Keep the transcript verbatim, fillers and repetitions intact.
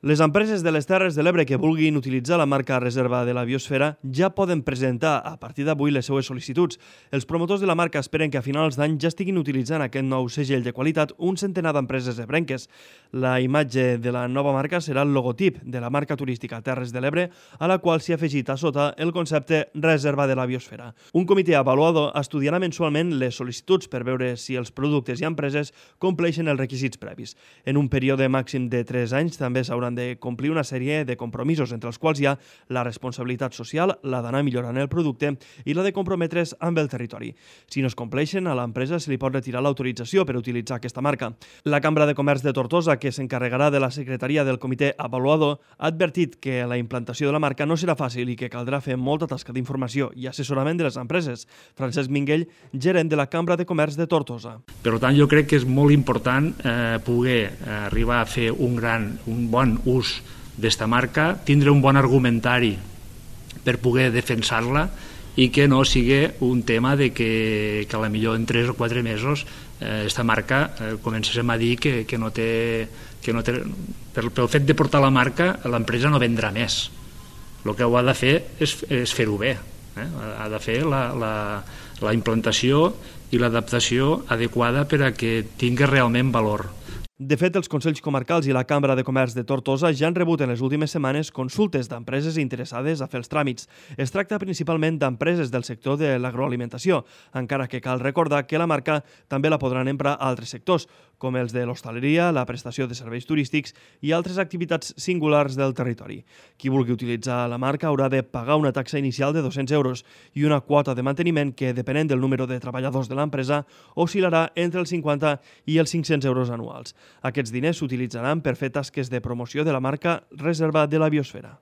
Les empreses de les Terres de l'Ebre que vulguin utilitzar la marca Reserva de la Biosfera ja poden presentar a partir d'avui les seues sol·licituds. Els promotors de la marca esperen que a finals d'any ja estiguin utilitzant aquest nou segell de qualitat un centenar d'empreses ebrenques. La imatge de la nova marca serà el logotip de la marca turística Terres de l'Ebre, a la qual s'hi ha afegit a sota el concepte Reserva de la Biosfera. Un comitè avaluador estudiarà mensualment les sol·licituds per veure si els productes i empreses compleixen els requisits previs. En un període màxim de tres anys també s'hauran de complir una sèrie de compromisos, entre els quals hi ha la responsabilitat social, la d'anar millorant el producte i la de comprometre's amb el territori. Si no es compleixen, a l'empresa se li pot retirar l'autorització per utilitzar aquesta marca. La Cambra de Comerç de Tortosa, que s'encarregarà de la secretaria del comitè avaluador, ha advertit que la implantació de la marca no serà fàcil i que caldrà fer molta tasca d'informació i assessorament de les empreses. Francesc Minguell, gerent de la Cambra de Comerç de Tortosa. Per tant, jo crec que és molt important eh, poder arribar a fer un gran, un bon ús d'esta marca, tindre un bon argumentari per poder defensar-la i que no sigui un tema de que, que a la millor en tres o quatre mesos eh, esta marca eh, comencem a dir que, que no té... Que no té per, pel fet de portar la marca, l'empresa no vendrà més. El que ho ha de fer és, és fer-ho bé. Eh? Ha de fer la, la, la implantació i l'adaptació adequada per a que tingui realment valor. De fet, els Consells Comarcals i la Cambra de Comerç de Tortosa ja han rebut en les últimes setmanes consultes d'empreses interessades a fer els tràmits. Es tracta principalment d'empreses del sector de l'agroalimentació, encara que cal recordar que la marca també la podran emprar a altres sectors, com els de l'hostaleria, la prestació de serveis turístics i altres activitats singulars del territori. Qui vulgui utilitzar la marca haurà de pagar una taxa inicial de dos-cents euros i una quota de manteniment que, depenent del número de treballadors de l'empresa, oscil·larà entre els cinquanta i els cinc-cents euros anuals. Aquests diners s'utilitzaran per fer tasques de promoció de la marca Reserva de la Biosfera.